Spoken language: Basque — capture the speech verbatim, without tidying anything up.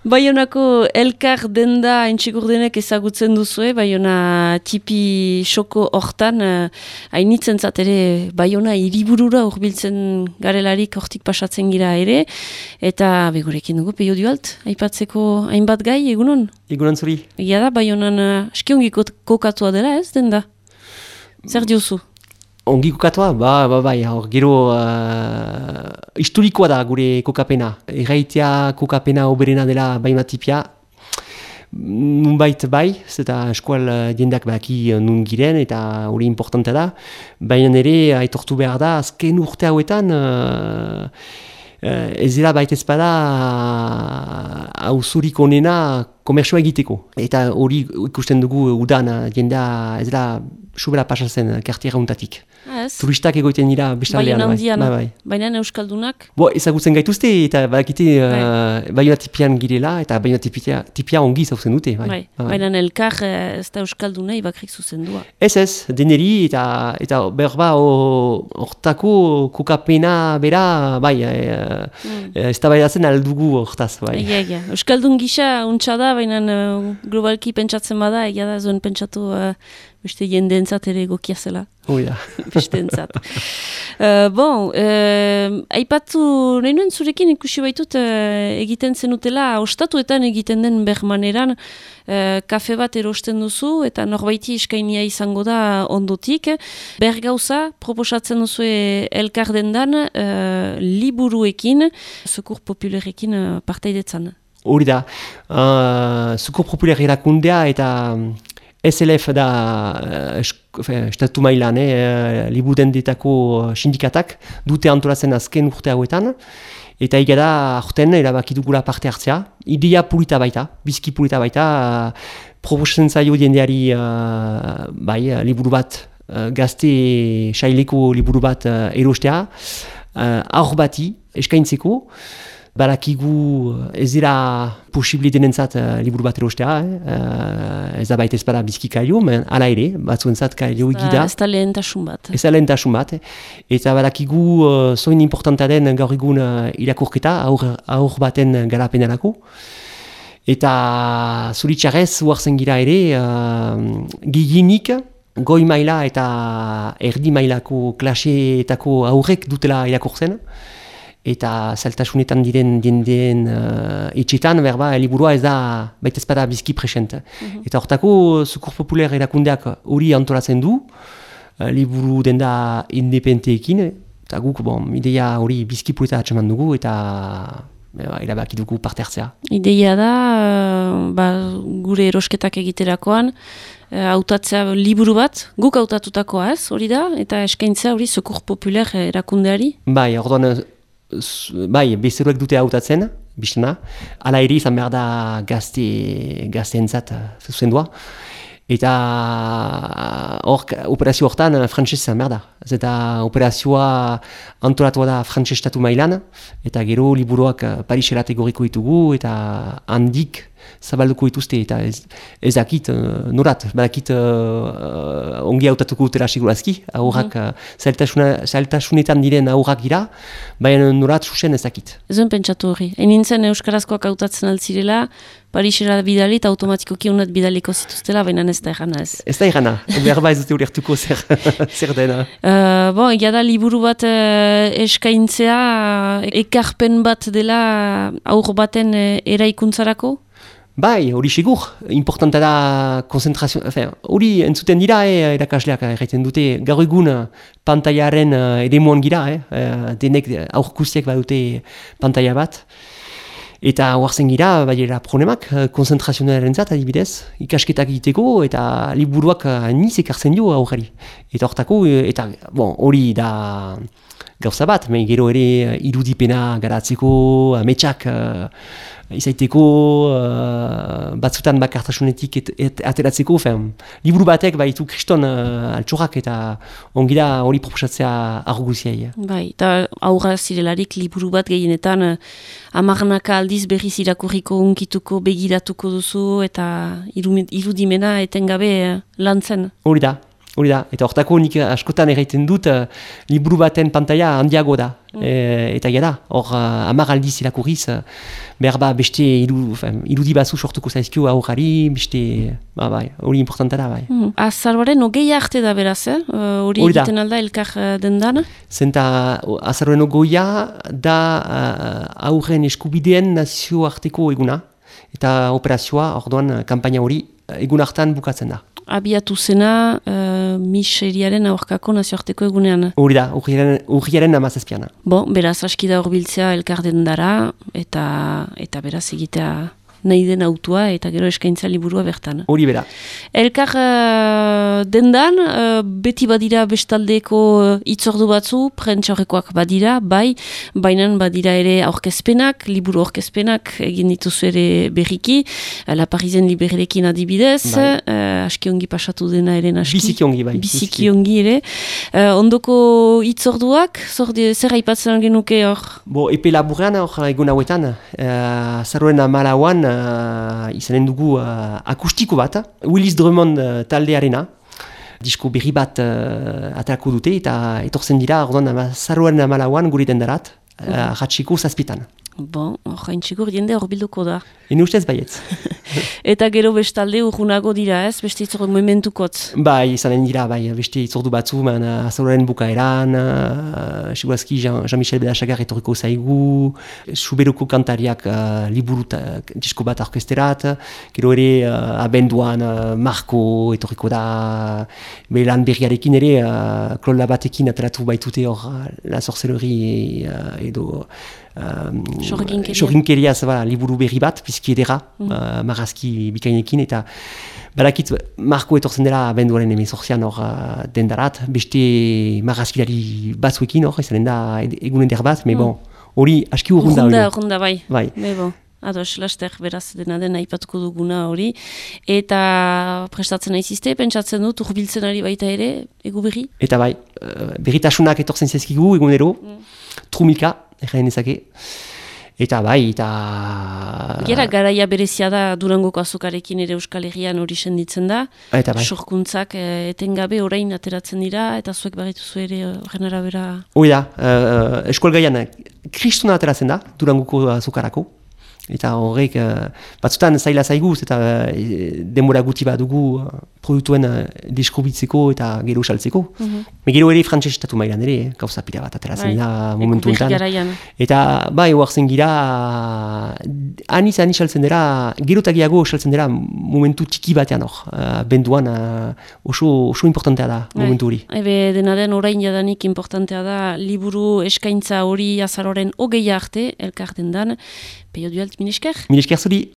Baionako elkar denda entxigurdenek ezagutzen duzue, Baiona tipi xoko hortan, hainitzen zat ere Baiona hiriburura hurbiltzen garelarik hortik pasatzen gira ere, eta begurekin dugu peio dualt, aipatzeko hainbat gai, egunon? Egunon zuri. Egia da, Baionan askiongi kokatua dela ez, denda? Zer diozu? Ongi kokatua, ba, ba, bai, hor, gero uh, historikoa da gure kokapena. Erraitea kokapena oberena dela Baiona tipia. Nunbait bai, zeta eskual diendak baki nun giren, eta hori importante da. Baina ere, aitortu behar da, azken urte hauetan, uh, uh, ez dira baita ezpada hauzurik onena komertsua egiteko. Eta hori ikusten dugu udan, jendea ez dira subera pasatzen kartiera untatik. Turistak egoiten dira bestaldean. Baiona handian, bai, bai. Baina euskaldunak? Bo, ezagutzen gaituzte eta badakite uh, Baiona tipian girela eta Baiona tipia, tipia ongi zauzen dute. Bai. Bai. Bai. Baina elkar ez da euskaldunei bakrik zuzendua. Ez ez, deneri eta, eta berba hortako kokapena bera, bai, uh, mm. ez da baidatzen aldugu hortaz. Bai. Egia, egia. Euskaldun gisa untsa da, baina uh, globalki pentsatzen bada, egia da zuen pentsatu uh, beste jendeentzat ere egokia zela. Oh, ja. Besteentzat. uh, bon, uh, aipatu nahi nuen zurekin ikusi baitut uh, egiten zenutela, ostatuetan egiten den bermaneran, uh, kafe bat erosten duzu, eta norbaiti eskainia izango da ondotik. Bergauza, proposatzen duzu elkar dendan, uh, liburuekin, Secours Popularekin uh, partaidetzan. Hori da, uh, Secours Populaire erakundea eta S L F da uh, estatu mailan, eh, libudendetako sindikatak dute antolatzen azken urte hauetan, eta egia da, aurten erabaki dugula parte hartzea. Idea pulita baita, bizki pulita baita, uh, proposatzen zaio jendeari uh, bai, liburu bat, uh, gazte saileko liburu bat uh, erostea, uh, aur bati eskaintzeko, barakigu ez dira posibli denentzat uh, liburu bat erostea, eh? uh, ez da baita ez bada bizki kailo, ala ere, batzuentzat kailo egida. Ez da lehentasun bat. Ez da lehentasun bat, eta barakigu uh, zoin importanta den gaur egun uh, irakurketa, aur, aur baten garapenarako. Eta zuritxarrez, uartzen gira ere, uh, giginik, goi maila eta erdi mailako klaseetako aurrek dutela irakurtzen, eta zailtasunetan diren jendeen uh, etxetan, berba, liburua ez da baita ezpada bizki present. Mm-hmm. Eta hortako, Secours Populaire erakundeak hori antolatzen du, uh, liburu denda independenteekin, eta guk, bon, ideia hori bizki puleta atxeman dugu, eta Eba, erabaki dugu parte hartzea. Ideia da, uh, ba, gure erosketak egiterakoan, hautatzea uh, liburu bat, guk hautatutakoa ez, hori da, eta eskaintzea hori Secours Populaire erakundeari? Bai, orduan, bai, bezeroek dute hautatzen, biztena, ala ere izan behar da gazte, gazteentzat zuzendua. Eta hor, operazio hortan frantses izan behar da. Eta operazioa antolatua da frantses estatu mailan, eta gero liburuak Pariserat egoriko ditugu, eta handik zabalduko dituzte, eta ez, ez dakit uh, norat, badakit uh, ongi hautatuko dutela segurazki, aurrak mm. zailtasunetan diren aurrak gira, baina norat susen ez dakit. Ez duen pentsatu hori, enintzen euskarazkoak hautatzen altzirela, Parisera bidali eta automatikoki unat bidaliko zituztela, baina ez da errana ez. Ez da errana, behar ba ez dute ulertuko zer, zer dena. Uh, bon, egia da liburu bat uh, eskaintzea, ekarpen bat dela aur baten uh, eraikuntzarako? Bai, hori segur, importanta da konzentrazio, hori entzuten dira, eh, erakasleak erraiten dute, gaur egun pantailaren uh, edemuan gira, eh, denek aurkustiak badute pantaila bat, eta hoartzen gira, baiera problemak, konzentrazionaren zat, adibidez, ikasketak egiteko, eta liburuak niz ekartzen dio aurrari. Eta hortako, eta bon, hori da gauza bat, me gero ere irudipena garatzeko, ametsak, uh, izaiteko, uh, batzutan bakartasunetik et, et, ateratzeko, fen, liburu batek baitu kriston uh, altxorrak eta ongira hori proposatzea arguziai. Bai, eta aurra zirelarik liburu bat gehienetan uh, amarnaka aldiz berriz irakurriko unkituko begiratuko duzu eta irudimena etengabe uh, lantzen. Hori da. Hori da, eta hortako nik askotan erraiten dut uh, liburu baten pantaila handiago da. Mm. E, eta gara, hor uh, hamar aldiz irakurriz, uh, behar ba beste iru, fin, irudi batzu sortuko zaizkio aurrari, beste, ba, bai, hori importanta da, bai. Mm. Azaroaren ogei arte da beraz, eh? Hori uh, egiten alda elkar uh, dendana? Zenta azaroaren ogoia da uh, aurren eskubideen nazioarteko eguna, eta operazioa, orduan, kampaina hori egun hartan bukatzen da. Abiatu zena uh, miseriaren aurkako nazioarteko egunean. Hori da, urriaren amazazpiana. Bo, beraz, aski da horbiltzea elkarden dara, eta, eta beraz egitea nahi den autua, eta gero eskaintza liburua bertan. Hori bera. Elkar uh, dendan, uh, beti badira bestaldeko hitzordu batzu, prentsaurrekoak badira, bai, baina badira ere aurkezpenak, liburu aurkezpenak egin dituzu ere berriki, La Parisen Librerekin adibidez, bai. uh, aski ongi pasatu dena ere naski. Biziki ongi, bai. Biziki ongi ere. Uh, ondoko hitzorduak, zer aipatzen genuke hor? Bo, epe laburrean hor egun hauetan, uh, zarroen amalauan, Uh, izanen dugu uh, akustiko bat, Willis Drummond uh, taldearena, disko berri bat uh, aterako dute, eta etortzen dira, orduan, zarroaren amalauan gure dendarat, uh, ratxiko zazpitan. Bon, horrein txikur jende horbilduko da. Ene ustez baietz. Eta gero bestalde urgunago dira ez, beste itzordu momentukotz? Bai, izanen dira, bai, beste itzordu batzu, man, azaloren bukaeran, uh, segurazki Jean-Michel Bedasagar etorriko zaigu, Suberuko kantariak uh, liburu disko bat orkesterat, gero ere uh, abenduan uh, Marco etorriko da, belan berriarekin ere, uh, klola batekin ateratu baitute hor uh, La Sorcellerie uh, edo Sorginkeria uh, liburu berri bat, pizki edera, mm. uh, marrazki bikainekin, eta barakit Marko etortzen dela abenduaren emezortzian hor uh, dendarat, beste marrazkilari batzuekin hor, izanen da egunen der bat, me mm. bon, hori aski urrunda. Urrunda, urrunda, bai. Bai. Me bon. Ados, laster, beraz, dena den aipatuko duguna hori. Eta prestatzen naizizte, pentsatzen dut, urbiltzen ari baita ere, egu berri? Eta bai, uh, berritasunak etortzen zezkigu egunero, mm. trumika, erraien ezake. Eta bai, eta... Gera, garaia berezia da Durangoko azokarekin ere Euskal Herrian hori senditzen da. Eta bai. Sorkuntzak eh, etengabe orain ateratzen dira, eta zuek barrituzu ere horren arabera... Hoi da, uh, eskualgaian kristuna ateratzen da Durangoko azokarako. Eta horrek, uh, batzutan zaila zaiguz eta uh, denbora guti bat dugu uh, produktuen uh, deskubitzeko eta gero saltzeko. Mm-hmm. Me gero ere frantses estatu mailan ere, eh, gauza pila bat ateratzen da momentu enten. Eta bai, oartzen gira, uh, aniz aniz saltzen dira, gero eta gehiago saltzen dira momentu txiki batean hor. Uh, benduan uh, oso, oso importantea da bai. Momentu hori. Ebe dena den orain jadanik importantea da liburu eskaintza hori azaroren hogeia arte, elkarten dan. Peio duelt, minesker? Minesker zuri.